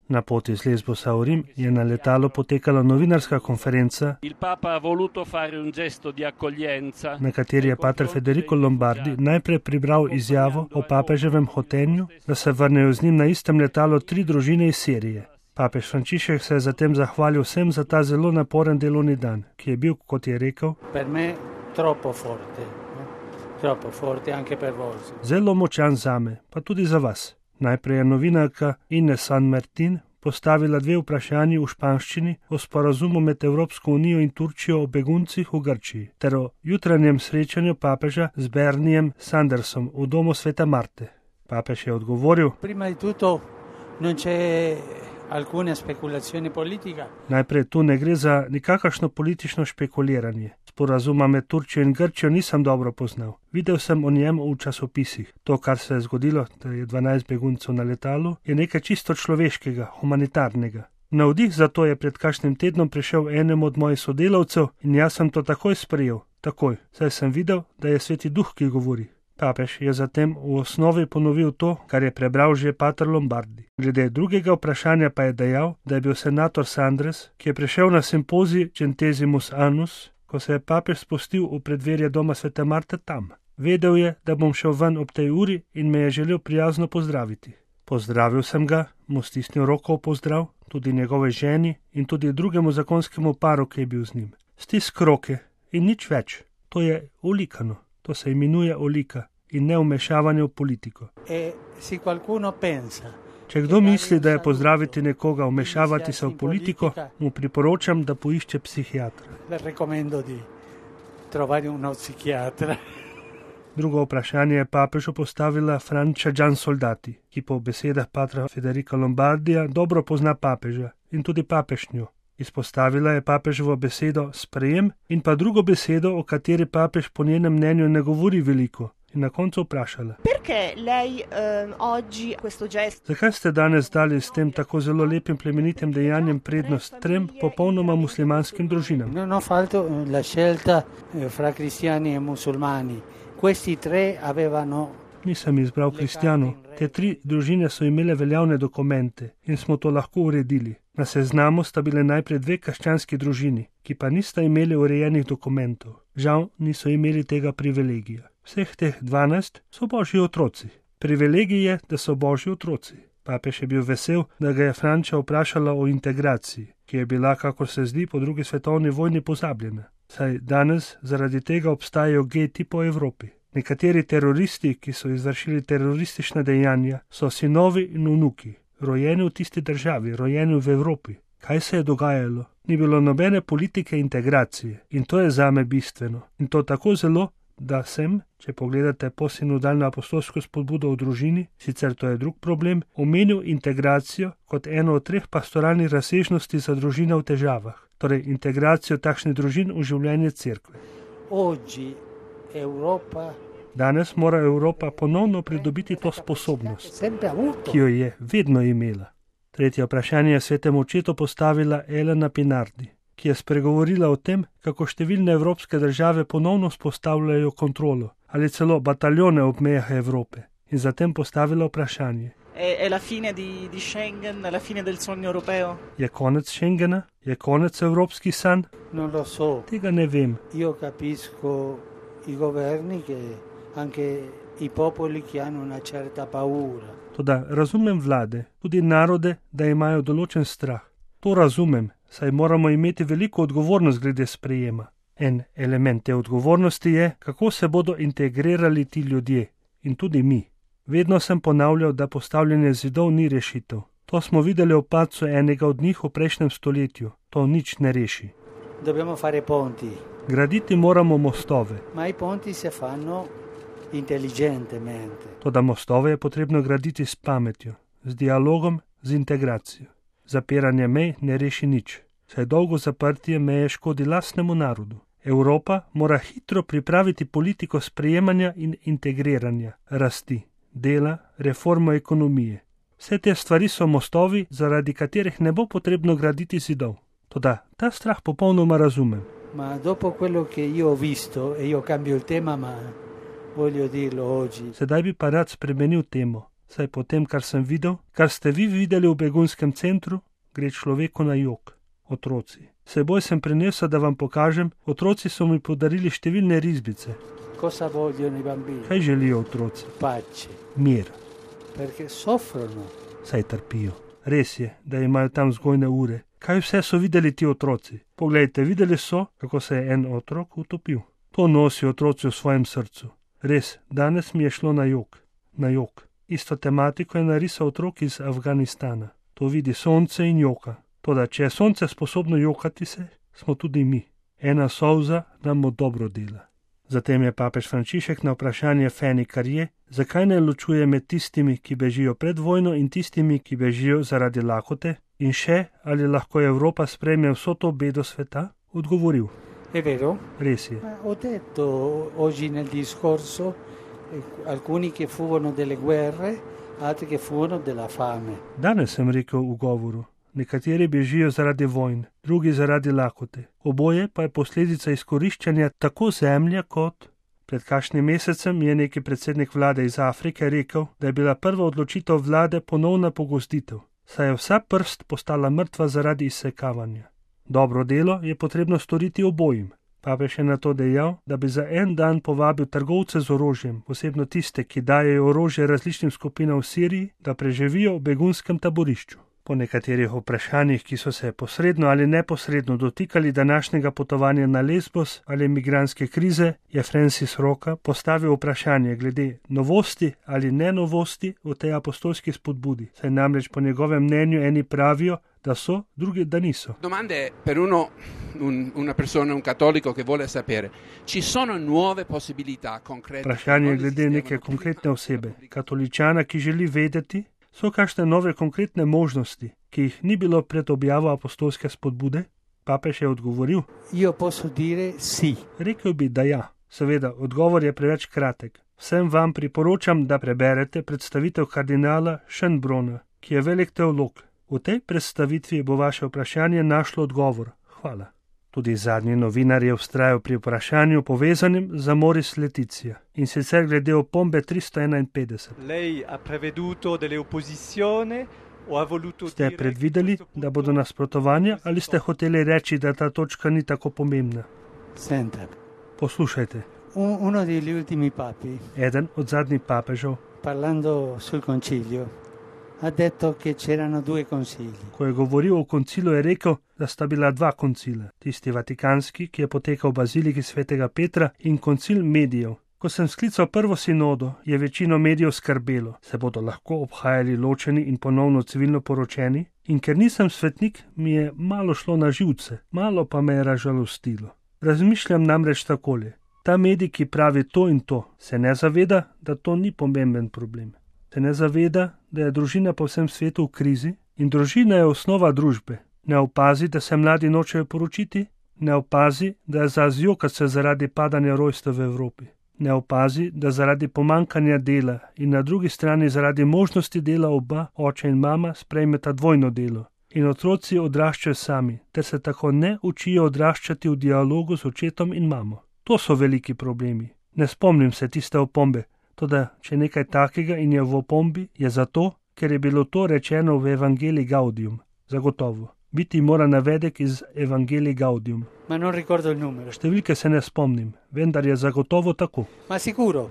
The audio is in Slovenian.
Na poti z Lesbosa v Rim je na letalu potekala novinarska konferenca, na kateri je pater Federico Lombardi najprej prebral izjavo o papeževem hotenju, da se vrnejo z njim na istem letalu 3 družine iz Sirije. Papež Frančišek se je zatem zahvalil vsem za ta zelo naporen delovni dan, ki je bil, kot je rekel, zelo močan zame, pa tudi za vas. Najprej je novinarka Ines San Martin postavila 2 vprašanji v španščini o sporazumu med Evropsko unijo in Turčijo o beguncih v Grčiji ter o jutranjem srečanju papeža z Bernijem Sandersom v domu Svete Marte. Papež je odgovoril: Najprej tu ne gre za nikakršno politično špekuliranje. Sporazuma med Turčijo in Grčijo nisem dobro poznal. Videl sem o njem v časopisih. To, kar se je zgodilo, da je 12 beguncev na letalu, je nekaj čisto človeškega, humanitarnega. Navdih za to je pred kakšnim tednom prišel enemu od mojih sodelavcev in jaz sem to takoj sprejel. Takoj, saj sem videl, da je Sveti Duh, ki govori. Papež je zatem v osnovi ponovil to, kar je prebral že pater Lombardi. Glede drugega vprašanja pa je dejal, da je bil senator Sanders, ki je prišel na simpozij Centesimus Annus, ko se je papež spustil v predverje doma Svete Marte tam. Vedel je, da bom šel ven ob tej uri in me je želel prijazno pozdraviti. Pozdravil sem ga, mu stisnil roko v pozdrav, tudi njegove ženi in tudi drugemu zakonskemu paru, ki je bil z njim. Stisk roke in nič več. To je olikano. To se imenuje olika in ne vmešavanje v politiko. Če kdo misli, da je pozdraviti nekoga, vmešavati se v politiko, mu priporočam, da poišče psihiatra. Drugo vprašanje je papežu postavila Francia Giansoldati, ki po besedah patra Federica Lombardija dobro pozna papeža in tudi papežnjo. Izpostavila je papeževo besedo sprejem in pa drugo besedo, o kateri papež po njenem mnenju ne govori veliko, in na koncu vprašala: Zakaj ste danes dali s tem tako zelo lepim plemenitim dejanjem prednost 3 popolnoma muslimanskim družinam? Nisem izbral kristjanov. Te 3 družine so imele veljavne dokumente in smo to lahko uredili. Na seznamu sta bile najprej 2 krščanski družini, ki pa nista imeli urejenih dokumentov. Žal niso imeli tega privilegija. Vseh teh 12 so božji otroci. Privilegij je, da so božji otroci. Papež je bil vesel, da ga je Franča vprašala o integraciji, ki je bila, kakor se zdi, po 2. svetovni vojni pozabljena. Saj danes zaradi tega obstajajo geti po Evropi. Nekateri teroristi, ki so izvršili teroristična dejanja, so sinovi in vnuki, rojeni v tisti državi, rojeni v Evropi. Kaj se je dogajalo? Ni bilo nobene politike integracije in to je zame bistveno. In to tako zelo, da sem, če pogledate posinodalno apostolsko spodbudo v družini, sicer to je drug problem, omenil integracijo kot eno od 3 pastoralnih razsežnosti za družine v težavah, torej integracijo takšnih družin v življenje cerkve. Danes mora Evropa ponovno pridobiti to sposobnost, ki jo je vedno imela. Tretje vprašanje je svetemu očetu postavila Elena Pinardi, ki je spregovorila o tem, kako številne evropske države ponovno vzpostavljajo kontrolo ali celo bataljone ob mejah Evrope in zatem postavila vprašanje. Je konec Schengena? Je konec evropski san? Tega ne vem. Toda razumem vlade, tudi narode, da imajo določen strah. To razumem, saj moramo imeti veliko odgovornost glede sprejema. En element te odgovornosti je, kako se bodo integrirali ti ljudje in tudi mi. Vedno sem ponavljal, da postavljanje zidov ni rešitev. To smo videli v padcu enega od njih v prejšnjem stoletju. To nič ne reši. Graditi moramo mostove. Toda mostove je potrebno graditi s pametjo, z dialogom, z integracijo. Zapiranje mej ne reši nič, saj dolgo zaprtje meje škodi lastnemu narodu. Evropa mora hitro pripraviti politiko sprejemanja in integriranja, rasti, dela, reformo ekonomije. Vse te stvari so mostovi, zaradi katerih ne bo potrebno graditi zidov. Toda ta strah popolnoma razumem. Sedaj bi pa rad spremenil temo. Saj po tem, kar sem videl, kar ste vi videli v begunskem centru, gre človeku na jok. Otroci. Seboj sem prinesel, da vam pokažem, otroci so mi podarili številne risbice. Cosa vogliono i bambini? Kaj želijo otroci? Pace. Mir. Perché soffrono. Saj trpijo. Res je, da imajo tam vzgojne ure. Kaj vse so videli ti otroci? Poglejte, videli so, kako se je en otrok utopil. To nosijo otroci v svojem srcu. Res, danes mi je šlo na jok. Na jok. Isto tematiko je narisal otrok iz Afganistana. To vidi sonce in joka. Toda, če je sonce sposobno jokati se, smo tudi mi. Ena solza nam dobro dela. Zatem je papež Frančišek na vprašanje Fanny Carrier, zakaj ne ločuje med tistimi, ki bežijo pred vojno in tistimi, ki bežijo zaradi lakote, in še, ali lahko Evropa sprejme vso to bedo sveta, odgovoril. È vero? Res je. Ho detto oggi nel discorso alcuni che fuggono delle guerre, altri che fuggono della fame. Danes sem rekel v govoru. Nekateri bežijo zaradi vojn, drugi zaradi lakote. Oboje pa je posledica izkoriščanja tako zemlje kot... Pred kakšnim mesecem je neki predsednik vlade iz Afrike rekel, da je bila prva odločitev vlade ponovna pogozditev, saj je vsa prst postala mrtva zaradi izsekavanja. Dobro delo je potrebno storiti obojim. Papež je na to dejal, da bi za en dan povabil trgovce z orožjem, posebno tiste, ki dajejo orožje različnim skupinam v Siriji, da preživijo v begunskem taborišču. Po nekaterih vprašanjih, ki so se posredno ali neposredno dotikali današnjega potovanja na Lesbos ali migranske krize, je Francis Roca postavil vprašanje glede novosti ali ne novosti v tej apostolski spodbudi, saj namreč po njegovem mnenju eni pravijo, da so, drugi da niso. Domande per una persona, un cattolico che vuole sapere, ci sono nuove possibilità concrete? Vprašanje glede neke konkretne osebe, katoličana, ki želi vedeti, so kakšne nove konkretne možnosti, ki jih ni bilo pred objavo apostolske spodbude? Papež je odgovoril. Io posso dire sì. Rekel bi, da ja. Seveda, odgovor je preveč kratek. Vsem vam priporočam, da preberete predstavitev kardinala Schönbrunna, ki je velik teolog. V tej predstavitvi bo vaše vprašanje našlo odgovor. Hvala. Tudi zadnji novinar je vztrajal pri vprašanju povezanim z Amoris Laetitia, in sicer glede opombe 351. Lei ha preveduto delle opposizioni o ha voluto Ste predvideli, da bodo nasprotovanja, ali ste hoteli reči, da ta točka ni tako pomembna? Senta. Poslušajte. Uno degli ultimi papi, Eden od zadnjih papežev, parlando sul concilio, ha detto che c'erano due concili. ko je govoril o koncilu, je rekel, da sta bila dva koncila. Tisti vatikanski, ki je potekal v baziliki svetega Petra, in koncil medijev. Ko sem sklical prvo sinodo, je večino medijev skrbelo, se bodo lahko obhajali ločeni in ponovno civilno poročeni, in ker nisem svetnik, mi je malo šlo na živce, malo pa me je razžalostilo. Razmišljam namreč takole. Ta medij, ki pravi to in to, se ne zaveda, da to ni pomemben problem. Se ne zaveda, da je družina po vsem svetu v krizi in družina je osnova družbe. Ne opazi, da se mladi nočejo poročiti, ne opazi, da je za zjokat se zaradi padanja rojstev v Evropi. Ne opazi, da zaradi pomankanja dela in na drugi strani zaradi možnosti dela oba, oče in mama, sprejmeta dvojno delo. In otroci odraščajo sami, ter se tako ne učijo odraščati v dialogu z očetom in mamo. To so veliki problemi. Ne spomnim se tiste opombe, toda če nekaj takega in je v opombi, je zato, ker je bilo to rečeno v Evangelii Gaudium. Zagotovo. Biti mora navedek iz Evangelii Gaudium. Ma non ricordo il numero. Številke se ne spomnim, vendar je zagotovo tako. Ma sicuro.